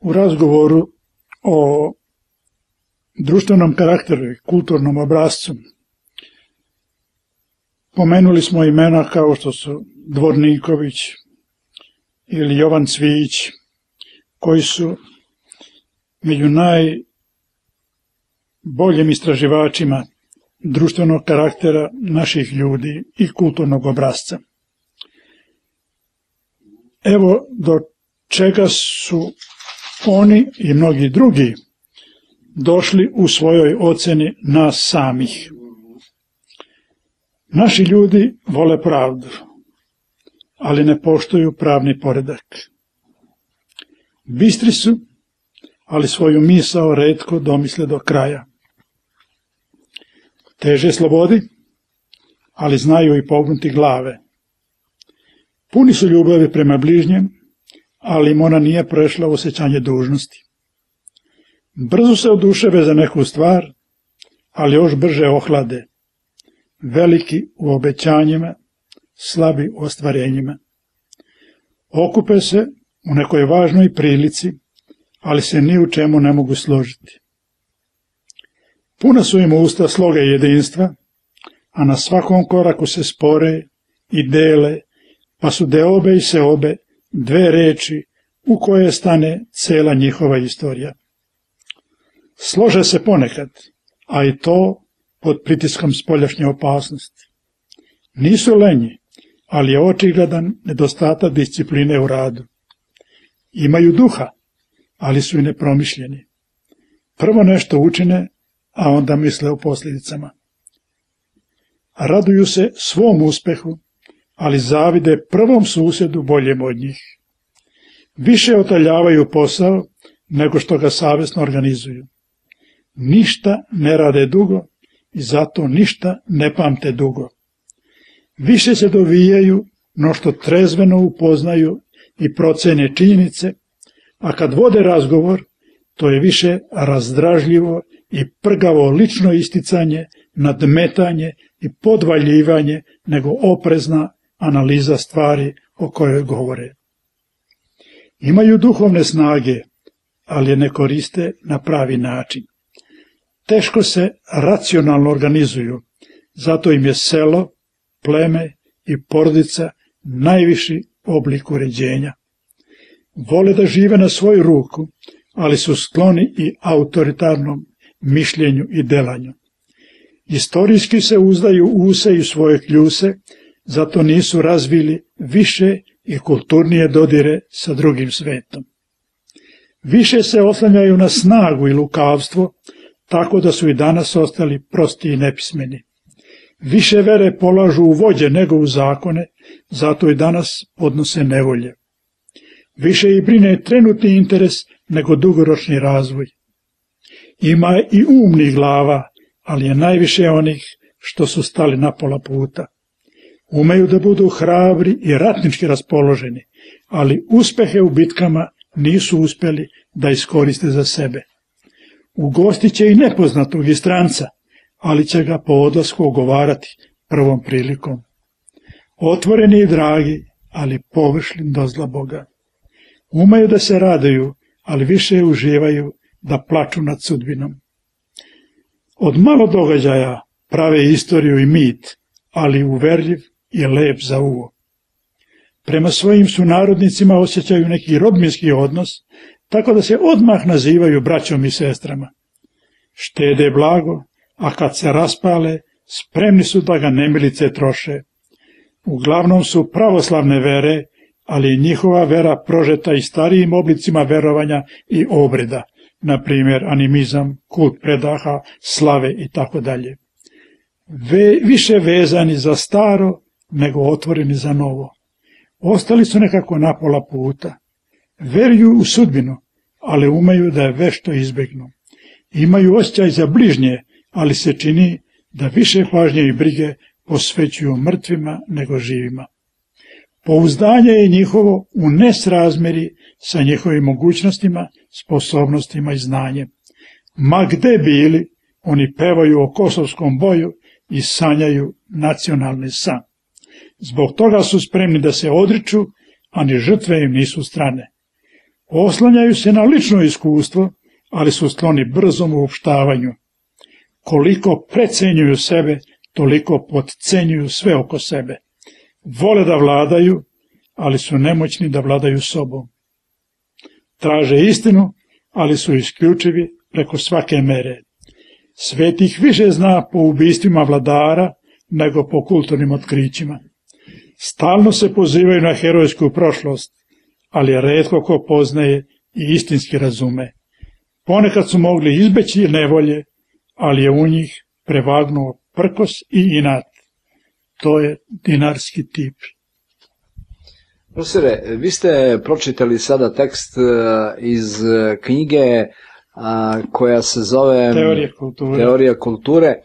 U razgovoru o društvenom karakteru i kulturnom obrascu pomenuli smo imena kao što su Dvorniković ili Jovan Cvijić, koji su među najboljim istraživačima društvenog karaktera naših ljudi i kulturnog obrasca. Evo do čega su oni i mnogi drugi došli u svojoj oceni nas samih. Naši ljudi vole pravdu, ali ne poštuju pravni poredak. Bistri su, ali svoju misao retko domisle do kraja. Teže slobodi, ali znaju i pognuti glave. Puni su ljubavi prema bližnjem, ali im ona nije prešla u osjećanje dužnosti. Brzo se oduševe za neku stvar, ali još brže ohlade. Veliki u obećanjima, slabi u ostvarenjima. Okupe se u nekoj važnoj prilici, ali se ni u čemu ne mogu složiti. Puna su im usta sloga i jedinstva, a na svakom koraku se spore i dele, pa su deobe i seobe dve reči u koje stane cela njihova istorija. Slože se ponekad, a i to pod pritiskom spoljašnje opasnosti. Nisu lenji, ali je očigledan nedostatak discipline u radu. Imaju duha, ali su i nepromišljeni. Prvo nešto učine, a onda misle o posljedicama. Raduju se svom uspehu, ali zavide prvom susjedu boljem od njih. Više otaljavaju posao nego što ga savjesno organizuju. Ništa ne rade dugo i zato ništa ne pamte dugo. Više se dovijaju no što trezveno upoznaju i procene činjenice, a kad vode razgovor, to je više razdražljivo i prgavo lično isticanje, nadmetanje i podvaljivanje nego oprezna analiza stvari o kojoj govore. Imaju duhovne snage, ali je ne koriste na pravi način. Teško se racionalno organizuju, zato im je selo, pleme i porodica najviši oblik uređenja. Vole da žive na svoju ruku, ali su skloni i autoritarnom mišljenju i delanju. Istorijski se uzdaju use i svoje kljuse, zato nisu razvili više i kulturnije dodire sa drugim svetom. Više se oslanjaju na snagu i lukavstvo, tako da su i danas ostali prosti i nepismeni. Više vere polažu u vođe nego u zakone, zato i danas podnose nevolje. Više ih brine trenutni interes nego dugoročni razvoj. Ima i umnih glava, ali je najviše onih što su stali na pola puta. Umeju da budu hrabri i ratnički raspoloženi, ali uspehe u bitkama nisu uspjeli da iskoriste za sebe. Ugostit će i nepoznatog i stranca, ali će ga po odlasku ogovarati prvom prilikom. Otvoreni i dragi, ali površni do zla Boga. Umeju da se raduju, ali više uživaju da plaču nad sudbinom. Od malo događaja prave istoriju i mit, ali uverljiv i lep za uvo. Prema svojim sunarodnicima osjećaju neki rodbinski odnos, tako da se odmah nazivaju braćom i sestrama. Štede blago, a kad se raspale, spremni su da ga nemilice troše. Uglavnom su pravoslavne vere, ali njihova vera prožeta i starijim oblicima verovanja i obreda, na primjer animizam, kult predaha, slave i tako dalje. Više vezani za staro nego otvoreni za novo. Ostali su nekako na pola puta. Veruju u sudbinu, ali umeju da je vešto izbjegnu. Imaju osjećaj za bližnje, ali se čini da više pažnje i brige posvećuju mrtvima nego živima. Pouzdanje je njihovo u nesrazmjeri sa njihovim mogućnostima, sposobnostima i znanjem. Ma gde bili, oni pevaju o kosovskom boju i sanjaju nacionalni san. Zbog toga su spremni da se odriču, a ni žrtve im nisu strane. Oslanjaju se na lično iskustvo, ali su skloni brzom uopštavanju. Koliko precenjuju sebe, toliko potcenjuju sve oko sebe. Vole da vladaju, ali su nemoćni da vladaju sobom. Traže istinu, ali su isključivi preko svake mere. Svet ih više zna po ubistvima vladara nego po kulturnim otkrićima. Stalno se pozivaju na herojsku prošlost, ali retko ko poznaje i istinski razume. Ponekad su mogli izbeći nevolje, ali je u njih prevagnuo prkos i inat. To je dinarski tip. Profesore, vi ste pročitali sada tekst iz knjige koja se zove Teorija kulture.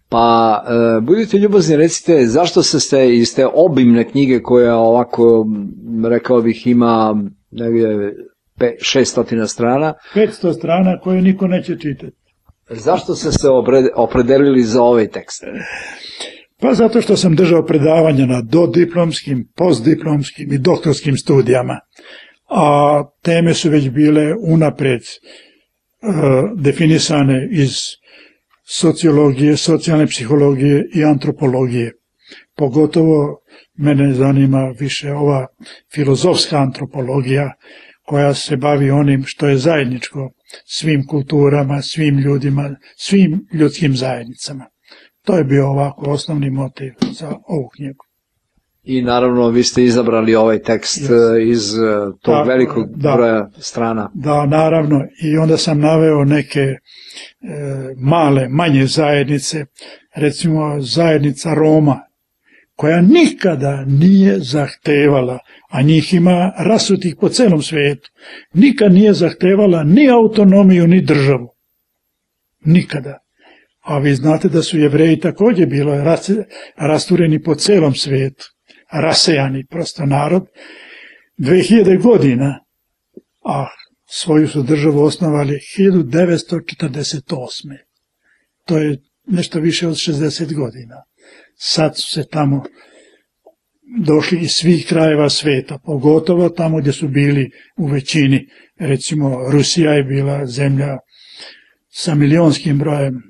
Pa budite ljubazni, recite zašto ste iz te obimne knjige koja ovako, rekao bih, ima 600 strana. 500 strana koje niko neće čitati. Zašto ste se opredelili za ovaj tekst? Pa zato što sam držao predavanja na dodiplomskim, postdiplomskim i doktorskim studijama, a teme su već bile unapred definisane iz sociologije, socijalne psihologije i antropologije. Pogotovo mene zanima više ova filozofska antropologija koja se bavi onim što je zajedničko svim kulturama, svim ljudima, svim ljudskim zajednicama. To je bio ovako osnovni motiv za ovu knjigu. I naravno vi ste izabrali ovaj tekst iz tog velikog broja strana. Da, naravno. I onda sam naveo neke manje zajednice, recimo zajednica Roma, koja nikada nije zahtevala, a njih ima rasutih po celom svijetu, nikad nije zahtevala ni autonomiju, ni državu. Nikada. A vi znate da su Jevreji također bili rastureni po celom svijetu, rasejani prosto narod, 2000 godina, a svoju su državu osnovali 1948. To je nešto više od 60 godina. Sad su se tamo došli iz svih krajeva svijeta, pogotovo tamo gdje su bili u većini. Recimo, Rusija je bila zemlja sa milionskim brojem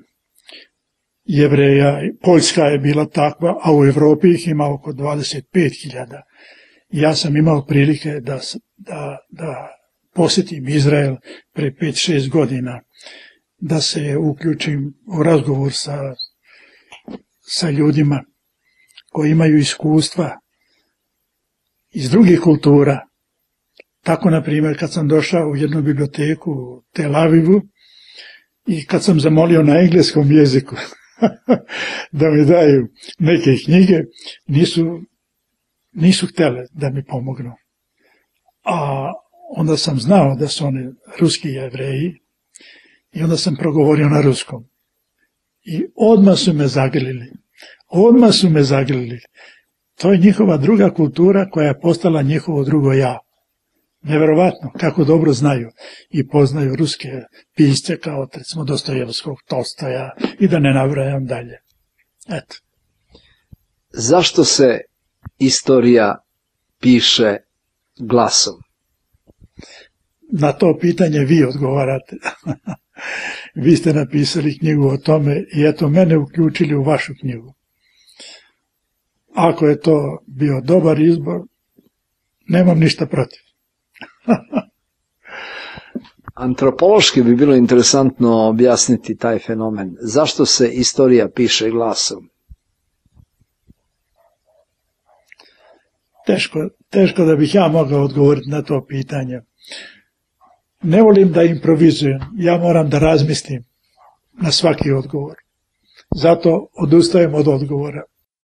Jevreja, Poljska je bila takva, a u Europi ih ima oko 25.000. Ja sam imao prilike da posjetim Izrael pre 5-6 godina, da se uključim u razgovor sa ljudima koji imaju iskustva iz drugih kultura. Tako, na primjer, kad sam došao u jednu biblioteku u Tel Avivu i kad sam zamolio na engleskom jeziku da mi daju neke knjige, nisu htjele da mi pomognu. A onda sam znao da su oni ruski Jevreji i onda sam progovorio na ruskom. I odmah su me zagrlili. To je njihova druga kultura koja je postala njihovo drugo ja. Neverovatno kako dobro znaju i poznaju ruske pisce kao recimo Dostojevskog, Tolstoja i da ne nabrajam dalje. Eto. Zašto se istorija piše glasom? Na to pitanje vi odgovarate. Vi ste napisali knjigu o tome i eto mene uključili u vašu knjigu. Ako je to bio dobar izbor, nemam ništa protiv. Antropološki bi bilo interesantno objasniti taj fenomen. Zašto se istorija piše glasom? Teško da bih ja mogao odgovoriti na to pitanje. Ne volim da improvizujem, ja moram da razmislim na svaki odgovor. Zato odustajem od odgovora.